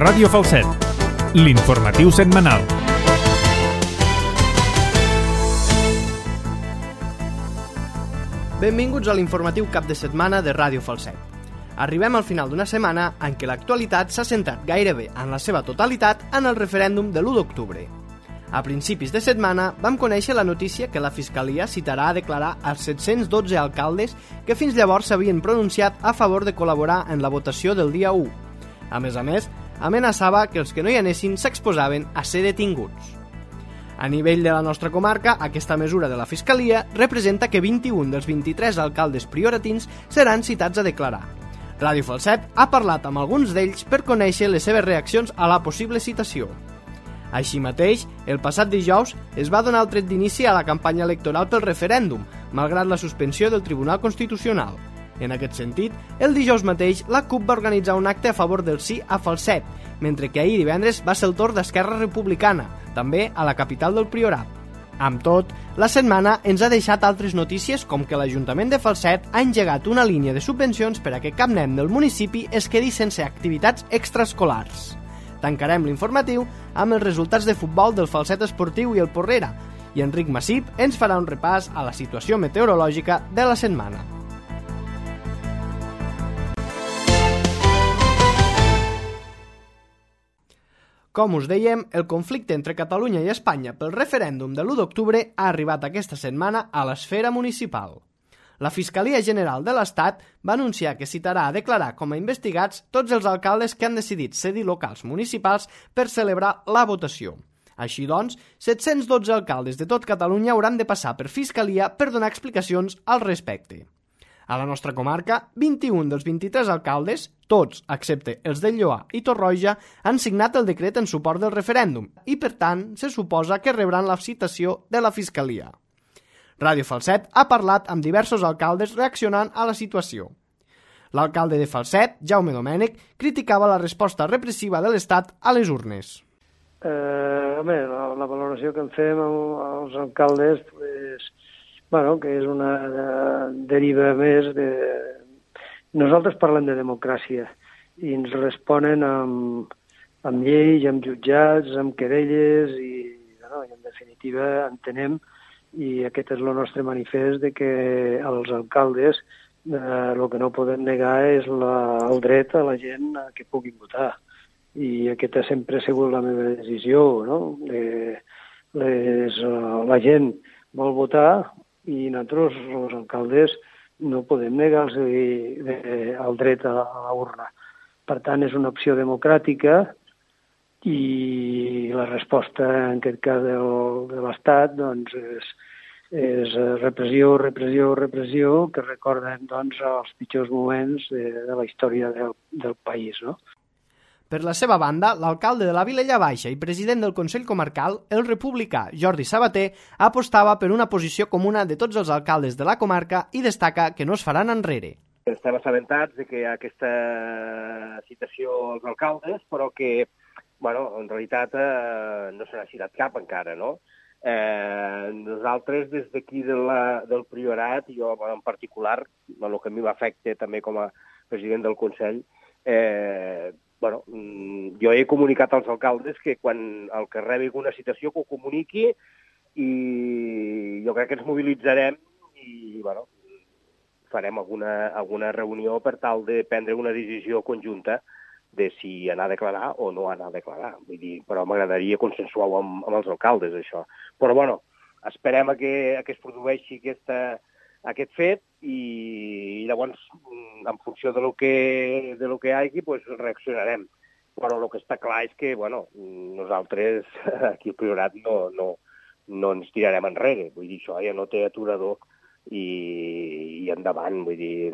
Ràdio Falset, l'informatiu setmanal. Benvinguts a l'informatiu cap de setmana de Ràdio Falset. Arribem al final d'una setmana en què l'actualitat s'ha centrat gairebé en la seva totalitat en el referèndum de l'1 d'octubre. A principis de setmana vam conèixer la notícia que la Fiscalia citarà a declarar els 712 alcaldes que fins llavors s'havien pronunciat a favor de col·laborar en la votació del dia 1. A més, amenaçava que els que no hi anessin s'exposaven a ser detinguts. A nivell de la nostra comarca, aquesta mesura de la Fiscalia representa que 21 dels 23 alcaldes prioratins seran citats a declarar. Ràdio Falset ha parlat amb alguns d'ells per conèixer les seves reaccions a la possible citació. Així mateix, el passat dijous es va donar el tret d'inici a la campanya electoral pel referèndum, malgrat la suspensió del Tribunal Constitucional. En aquest sentit, el dijous mateix la CUP va organitzar un acte a favor del sí a Falset, mentre que ahir divendres va ser el torn d'Esquerra Republicana, també a la capital del Priorat. Amb tot, la setmana ens ha deixat altres notícies com que l'Ajuntament de Falset ha engegat una línia de subvencions per a que cap nen del municipi es quedi sense activitats extraescolars. Tancarem l'informatiu amb els resultats de futbol del Falset Esportiu i el Porrera, i Enric Massip ens farà un repàs a la situació meteorològica de la setmana. Com us dèiem, el conflicte entre Catalunya i Espanya pel referèndum de l'1 d'octubre ha arribat aquesta setmana a l'esfera municipal. La Fiscalia General de l'Estat va anunciar que citarà a declarar com a investigats tots els alcaldes que han decidit cedir locals municipals per celebrar la votació. Així doncs, 712 alcaldes de tot Catalunya hauran de passar per Fiscalia per donar explicacions al respecte. A la nostra comarca, 21 dels 23 alcaldes, tots, excepte els de Lloar i Torroja, han signat el decret en suport del referèndum i, per tant, se suposa que rebran la citació de la Fiscalia. Ràdio Falset ha parlat amb diversos alcaldes reaccionant a la situació. L'alcalde de Falset, Jaume Domènech, criticava la resposta repressiva de l'Estat a les urnes. La valoració que en fem als alcaldes, que és una deriva més de... Nosaltres parlem de democràcia i ens responen amb lleis, amb jutjats, amb querelles i en definitiva entenem, i aquest és el nostre manifest, de que els alcaldes el que no podem negar és el dret a la gent que puguin votar. I aquesta sempre ha sigut la meva decisió, no? La gent vol votar i nosaltres, els alcaldes, no podem negar-los el dret a la urna. Per tant, és una opció democràtica i la resposta, en aquest cas de l'Estat, doncs, és repressió, que recorden els pitjors moments de la història del país, no? Per la seva banda, l'alcalde de la Vilella Baixa i president del Consell Comarcal, el republicà Jordi Sabater, apostava per una posició comuna de tots els alcaldes de la comarca i destaca que no es faran enrere. Estem assabentats de que hi ha aquesta citació als alcaldes, però que, en realitat no se n'ha citat cap encara, no? Nosaltres, des d'aquí del Priorat, jo en particular, el que a mi m'afecta també com a president del Consell, jo he comunicat als alcaldes que quan el que rebi alguna citació que ho comuniqui i jo crec que ens mobilitzarem i farem alguna reunió per tal de prendre una decisió conjunta de si anar a declarar o no anar a declarar. Vull dir, però m'agradaria consensuar-ho amb els alcaldes, això. Però esperem que es produeixi aquest fet i llavors, en funció de lo que hi hagi, reaccionarem. Però el que està clar és que, nosaltres aquí al Priorat no ens tirarem enrere. Vull dir, això ja no té aturador i endavant. Vull dir,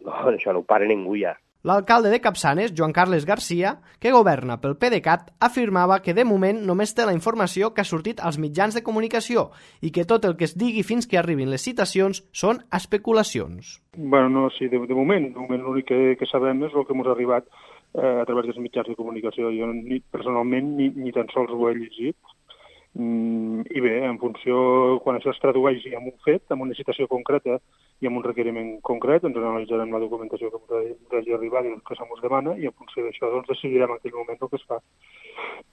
això no ho para ningú ja. L'alcalde de Capçanes, Joan Carles Garcia, que governa pel PDeCAT, afirmava que de moment només té la informació que ha sortit als mitjans de comunicació i que tot el que es digui fins que arribin les citacions són especulacions. Sí, de moment l'únic que sabem és el que ens ha arribat a través dels mitjans de comunicació. Jo personalment ni tan sols ho he llegit I bé, en funció, quan això es tradueix en un fet, en una situació concreta i en un requeriment concret, doncs analitzarem la documentació que ens hagi arribat i el que se mos demana, i en funció d'això doncs decidirem en aquell moment el que es fa.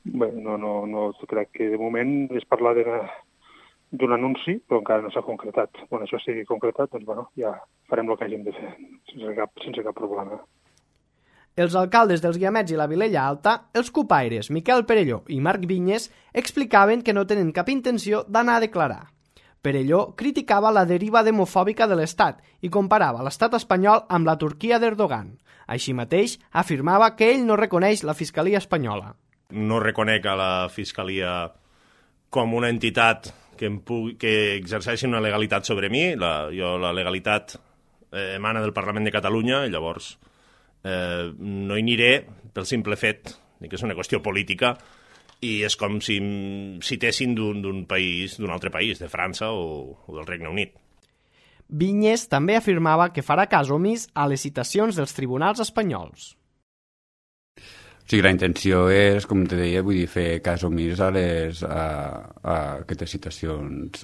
Bé, no crec que de moment és parlar d'un anunci, però encara no s'ha concretat. Quan això estigui concretat, doncs bueno, ja farem el que hàgim de fer, sense cap problema. Els alcaldes dels Guiamets i la Vilella Alta, els cupaires Miquel Perelló i Marc Vinyes, explicaven que no tenen cap intenció d'anar a declarar. Perelló criticava la deriva demofòbica de l'Estat i comparava l'estat espanyol amb la Turquia d'Erdogan. Així mateix, afirmava que ell no reconeix la Fiscalia espanyola. No reconec a la Fiscalia com una entitat que exerceixi una legalitat sobre mi. La legalitat emana del Parlament de Catalunya i llavors no hi aniré pel simple fet que és una qüestió política i és com si em citessin d'un altre país, de França o del Regne Unit. Vinyes també afirmava que farà cas omís a les citacions dels tribunals espanyols. Sí, la intenció és, com te deia, vull dir, fer cas omís a aquestes citacions.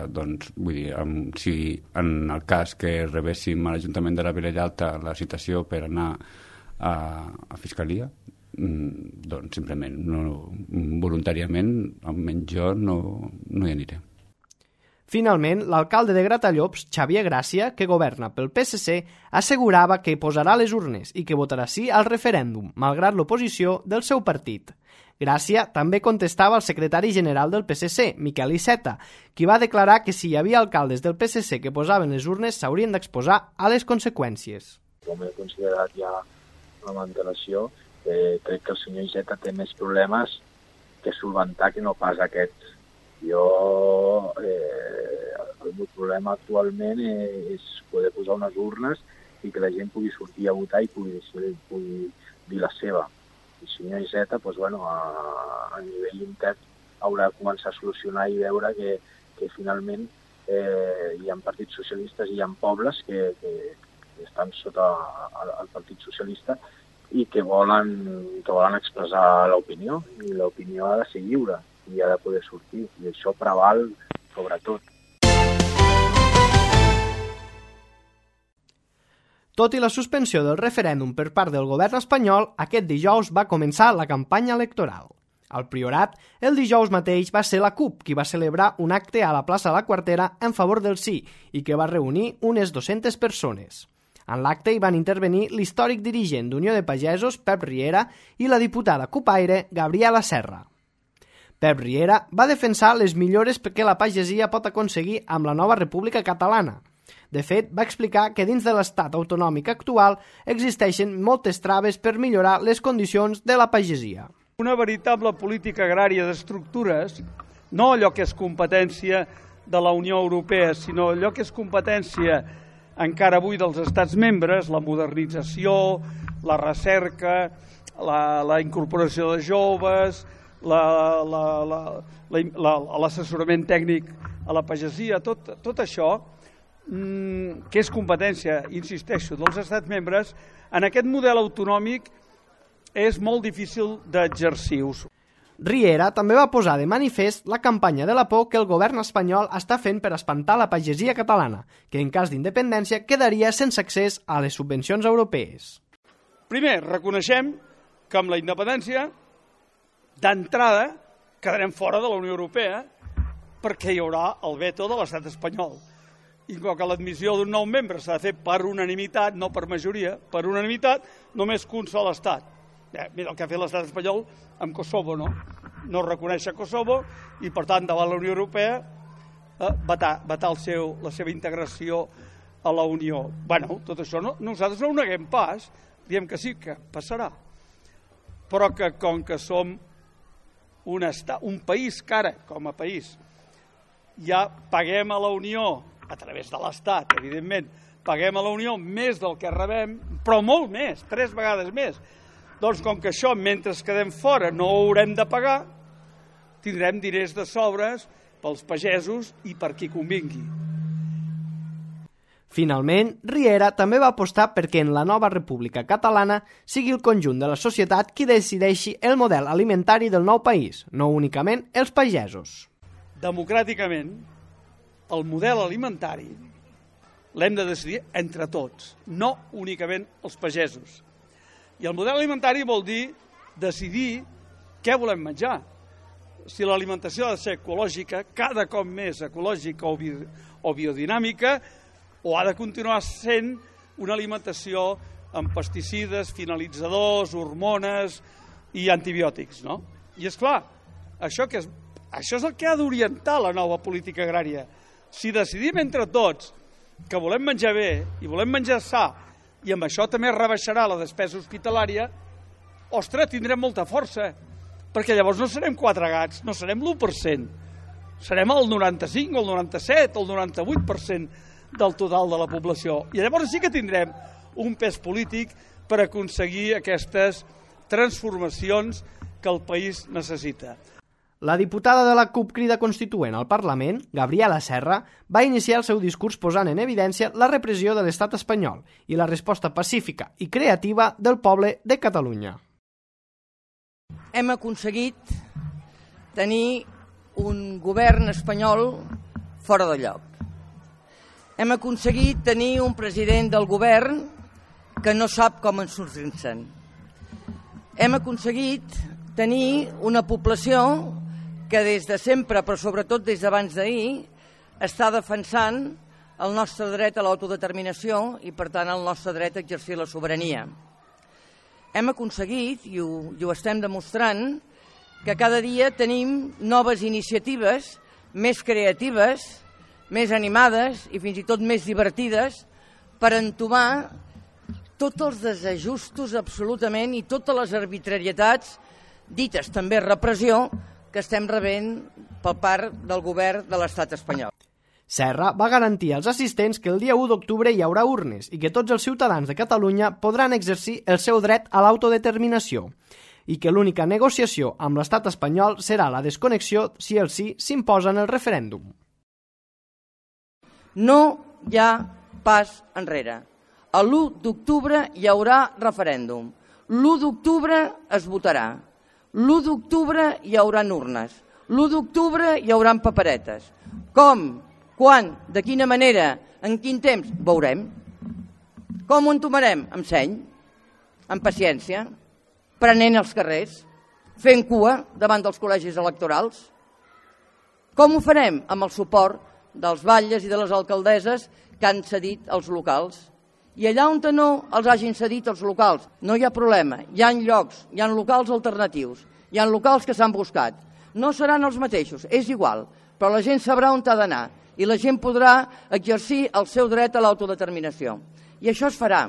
Doncs, vull dir, si en el cas que rebéssim a l'Ajuntament de la Vilella Alta la citació per anar a Fiscalia, doncs simplement, voluntàriament, almenys jo no hi aniré. Finalment, l'alcalde de Gratallops, Xavier Gràcia, que governa pel PSC, assegurava que posarà les urnes i que votarà sí al referèndum, malgrat l'oposició del seu partit. Gràcia també contestava al secretari general del PSC, Miquel Iceta, qui va declarar que si hi havia alcaldes del PSC que posaven les urnes s'haurien d'exposar a les conseqüències. Com he considerat ja amb antelació, crec que el senyor Iceta té més problemes que solventar que no pas aquests. El meu problema actualment és poder posar unes urnes i que la gent pugui sortir a votar i pugui dir la seva. El senyor Iceta, a nivell intern, haurà de començar a solucionar i veure que finalment hi ha partits socialistes i hi ha pobles que estan sota el Partit Socialista i que volen expressar l'opinió, i l'opinió ha de ser lliure i ha de poder sortir, i això preval sobretot. Tot i la suspensió del referèndum per part del govern espanyol, aquest dijous va començar la campanya electoral. Al Priorat, el dijous mateix va ser la CUP qui va celebrar un acte a la plaça de la Quartera en favor del sí i que va reunir unes 200 persones. En l'acte hi van intervenir l'històric dirigent d'Unió de Pagesos, Pep Riera, i la diputada cupaire, Gabriela Serra. Pep Riera va defensar les millores que la pagesia pot aconseguir amb la nova República Catalana. De fet, va explicar que dins de l'estat autonòmic actual existeixen moltes traves per millorar les condicions de la pagesia. Una veritable política agrària d'estructures, no allò que és competència de la Unió Europea, sinó allò que és competència encara avui dels estats membres, la modernització, la recerca, la incorporació de joves, l'assessorament tècnic a la pagesia, tot això, que és competència, insisteixo, dels estats membres, en aquest model autonòmic és molt difícil d'exercir-ho. Riera també va posar de manifest la campanya de la por que el govern espanyol està fent per espantar la pagesia catalana, que en cas d'independència quedaria sense accés a les subvencions europees. Primer, reconeixem que amb la independència, d'entrada, quedarem fora de la Unió Europea perquè hi haurà el veto de l'estat espanyol. I com que l'admissió d'un nou membre s'ha de fer per unanimitat, no per majoria, per unanimitat, només que un sol estat. Mira el que ha fet l'estat espanyol amb Kosovo, no? No reconèixer Kosovo i, per tant, davant la Unió Europea, vetar la seva integració a la Unió. Bueno, tot això nosaltres no ho neguem pas, diem que sí, que passarà. Però que com que som un país que ara, com a país, ja paguem a la Unió, a través de l'Estat, evidentment, paguem a la Unió més del que rebem, però molt més, 3 vegades més. Doncs com que això, mentre quedem fora, no ho haurem de pagar, tindrem diners de sobres pels pagesos i per qui convingui. Finalment, Riera també va apostar perquè en la nova República Catalana sigui el conjunt de la societat qui decideixi el model alimentari del nou país, no únicament els pagesos. Democràticament, el model alimentari l'hem de decidir entre tots, no únicament els pagesos. I el model alimentari vol dir decidir què volem menjar. Si l'alimentació ha de ser ecològica, cada cop més ecològica o biodinàmica, o ha de continuar sent una alimentació amb pesticides, finalitzadors, hormones i antibiòtics, no? I és clar, això és el que ha d'orientar la nova política agrària. Si decidim entre tots que volem menjar bé i volem menjar sa, i amb això també rebaixarà la despesa hospitalària, ostres, tindrem molta força, perquè llavors no serem 4 gats, no serem l'1%, serem el 95, el 97, el 98% del total de la població. I llavors sí que tindrem un pes polític per aconseguir aquestes transformacions que el país necessita. La diputada de la CUP Crida Constituent al Parlament, Gabriela Serra, va iniciar el seu discurs posant en evidència la repressió de l'estat espanyol i la resposta pacífica i creativa del poble de Catalunya. Hem aconseguit tenir un govern espanyol fora de lloc. Hem aconseguit tenir un president del govern que no sap com en sortir-se'n. Hem aconseguit tenir una població que des de sempre, però sobretot des d'abans d'ahir, està defensant el nostre dret a l'autodeterminació i, per tant, el nostre dret a exercir la sobirania. Hem aconseguit, i ho estem demostrant, que cada dia tenim noves iniciatives més creatives, més animades i fins i tot més divertides per entomar tots els desajustos absolutament i totes les arbitrarietats, dites també repressió, que estem rebent per part del govern de l'estat espanyol. Serra va garantir als assistents que el dia 1 d'octubre hi haurà urnes i que tots els ciutadans de Catalunya podran exercir el seu dret a l'autodeterminació i que l'única negociació amb l'estat espanyol serà la desconnexió si el sí s'imposa en el referèndum. No hi ha pas enrere. L'1 d'octubre hi haurà referèndum. L'1 d'octubre es votarà. L'1 d'octubre hi haurà urnes. L'1 d'octubre hi haurà paperetes. Com? Quan? De quina manera? En quin temps? Veurem. Com ho entomarem? Amb seny, amb paciència, prenent els carrers, fent cua davant dels col·legis electorals. Com ho farem? Amb el suport dels batlles i de les alcaldesses que han cedit els locals. I allà on no els hagin cedit els locals, no hi ha problema. Hi ha llocs, hi ha locals alternatius, hi ha locals que s'han buscat. No seran els mateixos, és igual, però la gent sabrà on ha d'anar i la gent podrà exercir el seu dret a l'autodeterminació. I això es farà.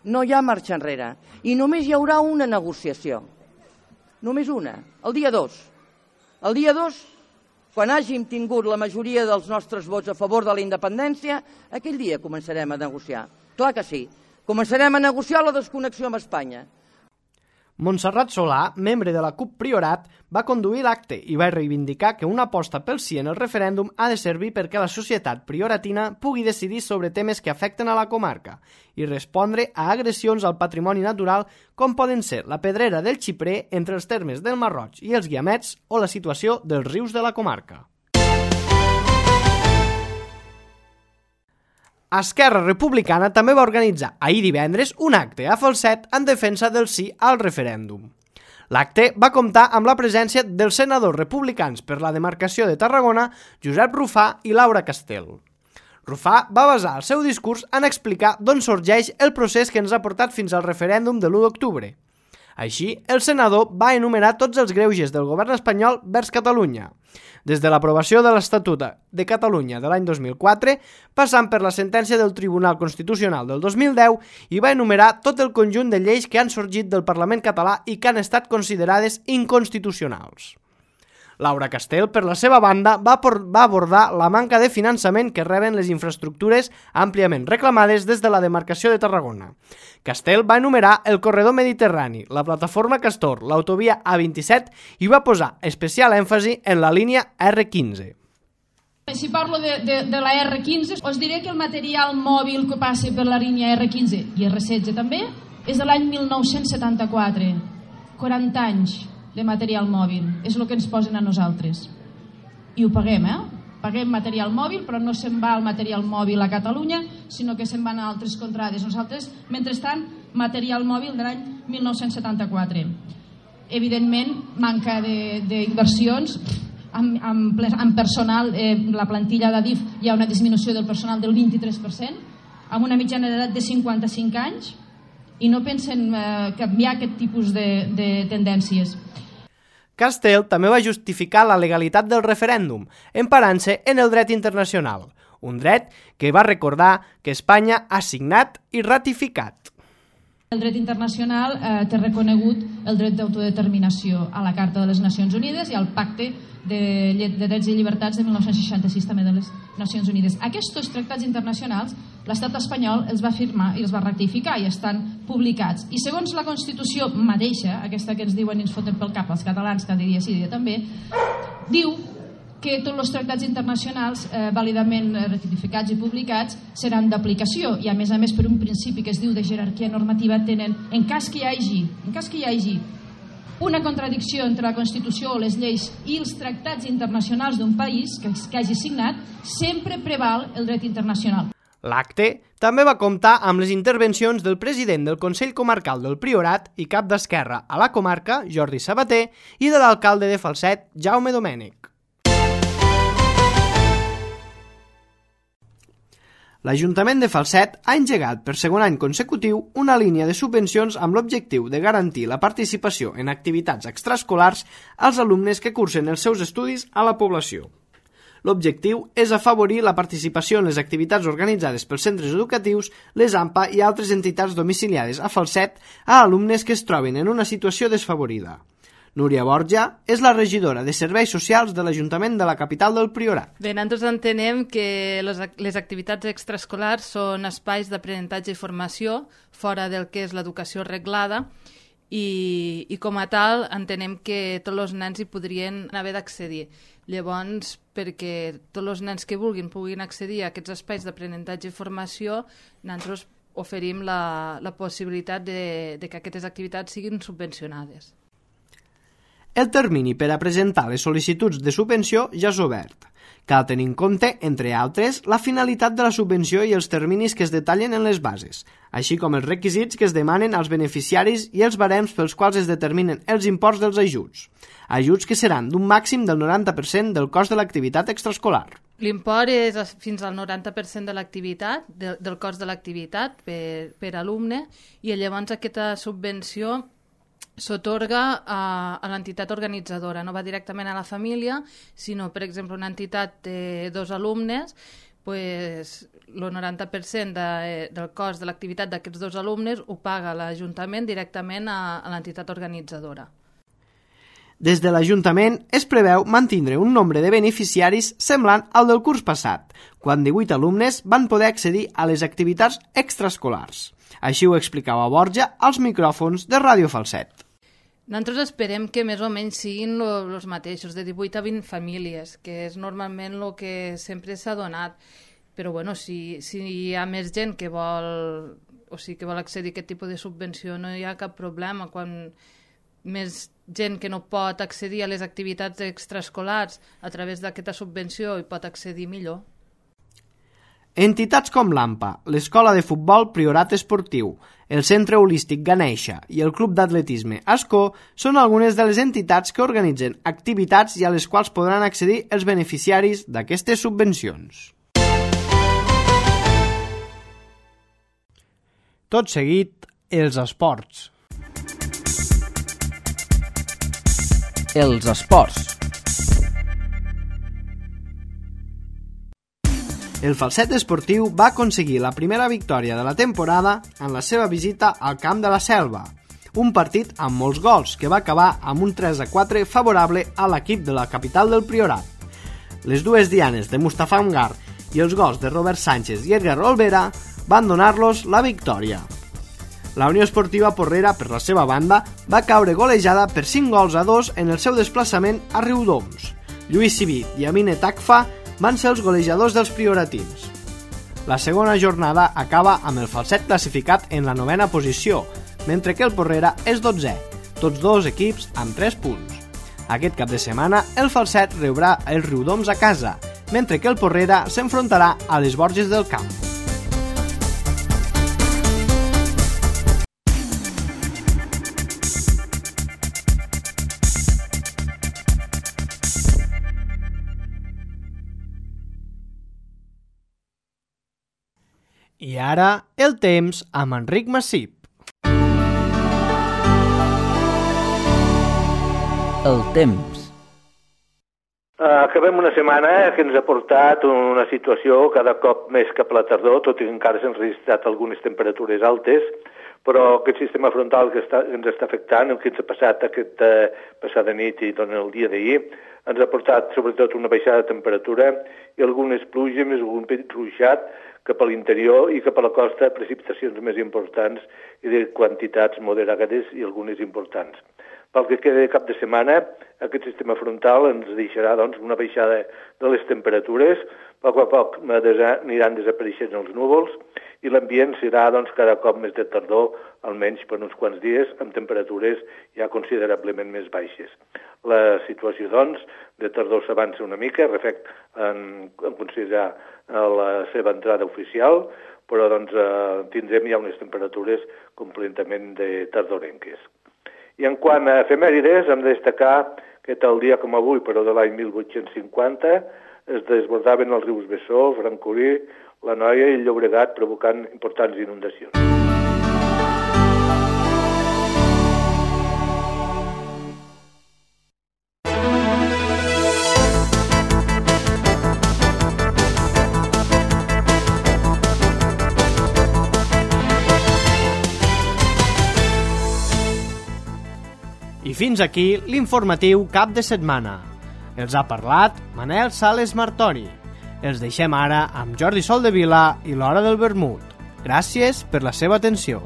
No hi ha marxa enrere. I només hi haurà una negociació. Només una. El dia 2. El dia 2, quan hàgim tingut la majoria dels nostres vots a favor de la independència, aquell dia començarem a negociar. Clar que sí. Començarem a negociar la desconnexió amb Espanya. Montserrat Solà, membre de la CUP Priorat, va conduir l'acte i va reivindicar que una aposta pel sí en el referèndum ha de servir perquè la societat prioratina pugui decidir sobre temes que afecten a la comarca i respondre a agressions al patrimoni natural com poden ser la pedrera del Xiprer entre els termes del Marroig i els Guiamets o la situació dels rius de la comarca. Esquerra Republicana també va organitzar ahir divendres un acte a Falset en defensa del sí al referèndum. L'acte va comptar amb la presència dels senadors republicans per la demarcació de Tarragona, Josep Rufà i Laura Castel. Rufà va basar el seu discurs en explicar d'on sorgeix el procés que ens ha portat fins al referèndum de l'1 d'octubre. Així, el senador va enumerar tots els greuges del govern espanyol vers Catalunya, des de l'aprovació de l'Estatut de Catalunya de l'any 2004, passant per la sentència del Tribunal Constitucional del 2010 i va enumerar tot el conjunt de lleis que han sorgit del Parlament català i que han estat considerades inconstitucionals. Laura Castel, per la seva banda, va abordar la manca de finançament que reben les infraestructures àmpliament reclamades des de la demarcació de Tarragona. Castel va enumerar el corredor mediterrani, la plataforma Castor, l'autovia A27 i va posar especial èmfasi en la línia R15. Si parlo de la R15, us diré que el material mòbil que passa per la línia R15 i R16 també és de l'any 1974. 40 anys de material mòbil. És el que ens posen a nosaltres. I ho paguem, Paguem material mòbil, però no se'n va el material mòbil a Catalunya, sinó que se'n van a altres contrades. Nosaltres, mentrestant, material mòbil de l'any 1974. Evidentment, manca d'inversions. Amb personal, la plantilla d'Adif hi ha una disminució del personal del 23%, amb una mitjana d'edat de 55 anys, i no pensen canviar aquest tipus de tendències. Castell també va justificar la legalitat del referèndum, emparant-se en el dret internacional, un dret que va recordar que Espanya ha signat i ratificat. El dret internacional té reconegut el dret d'autodeterminació a la Carta de les Nacions Unides i al Pacte de Drets i Llibertats de 1966 també de les Nacions Unides. Aquests tractats internacionals l'estat espanyol els va firmar i els va ratificar i estan publicats. I segons la Constitució mateixa, aquesta que ens diuen i ens foten pel cap els catalans cada dia sí dia també, diu que tots els tractats internacionals vàlidament ratificats i publicats seran d'aplicació i a més per un principi que es diu de jerarquia normativa tenen, en cas que hi hagi una contradicció entre la Constitució o les lleis i els tractats internacionals d'un país que hagi signat, sempre preval el dret internacional. L'acte també va comptar amb les intervencions del president del Consell Comarcal del Priorat i cap d'Esquerra a la comarca, Jordi Sabater, i de l'alcalde de Falset, Jaume Domènech. L'Ajuntament de Falset ha engegat per segon any consecutiu una línia de subvencions amb l'objectiu de garantir la participació en activitats extraescolars als alumnes que cursen els seus estudis a la població. L'objectiu és afavorir la participació en les activitats organitzades pels centres educatius, les AMPA i altres entitats domiciliades a Falset a alumnes que es trobin en una situació desfavorida. Núria Borja és la regidora de Serveis Socials de l'Ajuntament de la capital del Priorat. Bé, nosaltres entenem que les activitats extraescolars són espais d'aprenentatge i formació fora del que és l'educació reglada i com a tal entenem que tots els nens hi podrien haver d'accedir. Llavors, perquè tots els nens que puguin accedir a aquests espais d'aprenentatge i formació, nosaltres oferim la possibilitat de que aquestes activitats siguin subvencionades. El termini per a presentar les sol·licituds de subvenció ja és obert. Cal tenir en compte, entre altres, la finalitat de la subvenció i els terminis que es detallen en les bases, així com els requisits que es demanen als beneficiaris i els barems pels quals es determinen els imports dels ajuts. Ajuts que seran d'un màxim del 90% del cost de l'activitat extraescolar. L'import és fins al 90% de l'activitat, del cost de l'activitat per alumne, i llavors aquesta subvenció s'atorga a l'entitat organitzadora, no va directament a la família, sinó, per exemple, una entitat de 2 alumnes, el 90% del cost de l'activitat d'aquests 2 alumnes ho paga l'Ajuntament directament a l'entitat organitzadora. Des de l'Ajuntament es preveu mantindre un nombre de beneficiaris semblant al del curs passat, quan 18 alumnes van poder accedir a les activitats extraescolars. Així ho explicava Borja als micròfons de Ràdio Falset. Nosaltres esperem que més o menys siguin els mateixos, de 18 a 20 famílies, que és normalment el que sempre s'ha donat. Però bueno, si hi ha més gent que vol accedir a aquest tipus de subvenció, no hi ha cap problema. Quan més gent que no pot accedir a les activitats extraescolars a través d'aquesta subvenció hi pot accedir millor. Entitats com l'AMPA, l'Escola de Futbol Priorat Esportiu, el Centre Holístic Ganeixa i el Club d'Atletisme Ascó són algunes de les entitats que organitzen activitats i a les quals podran accedir els beneficiaris d'aquestes subvencions. Tot seguit, els esports. Els esports. El Falset Esportiu va aconseguir la primera victòria de la temporada en la seva visita al Camp de la Selva, un partit amb molts gols que va acabar amb un 3-4 favorable a l'equip de la capital del Priorat. Les dues dianes de Mustafa Amgar i els gols de Robert Sánchez i Edgar Olvera van donar-los la victòria. La Unió Esportiva Porrera, per la seva banda, va caure golejada per 5-2 en el seu desplaçament a Riudoms. Lluís Civit i Amine Takfa van ser els golejadors dels prioratins. La segona jornada acaba amb el Falset classificat en la 9a posició, mentre que el Porrera és 12è, tots dos equips amb 3 punts. Aquest cap de setmana el Falset rebrà els Riudoms a casa, mentre que el Porrera s'enfrontarà a les Borges del Camp. I ara, el temps amb Enric Massip. El temps. Acabem una setmana que ens ha portat una situació cada cop més cap a la tardor, tot i que encara s'han registrat algunes temperatures altes, però aquest sistema frontal que ens està afectant, el que ens ha passat aquesta passada nit i tot el dia d'ahir, ens ha portat sobretot una baixada de temperatura i algunes pluges, més algun petit ruixat cap a l'interior i cap a la costa, precipitacions més importants i de quantitats moderades i algunes importants. Pel que queda de cap de setmana, aquest sistema frontal ens deixarà una baixada de les temperatures, a poc aniran desapareixent els núvols i l'ambient serà cada cop més de tardor, almenys per uns quants dies, amb temperatures ja considerablement més baixes. La situació, de tardor s'avança una mica, en considerar la seva entrada oficial, però tindrem ja unes temperatures completament de tardorenques. I en quant a efemèrides, hem de destacar que tal dia com avui, però de l'any 1850, es desbordaven els rius Besòs, Francolí, la Noia i el Llobregat, provocant importants inundacions. I fins aquí l'informatiu cap de setmana. Els ha parlat Manel Sales Martori. Els deixem ara amb Jordi Soldevila i l'Hora del Vermut. Gràcies per la seva atenció.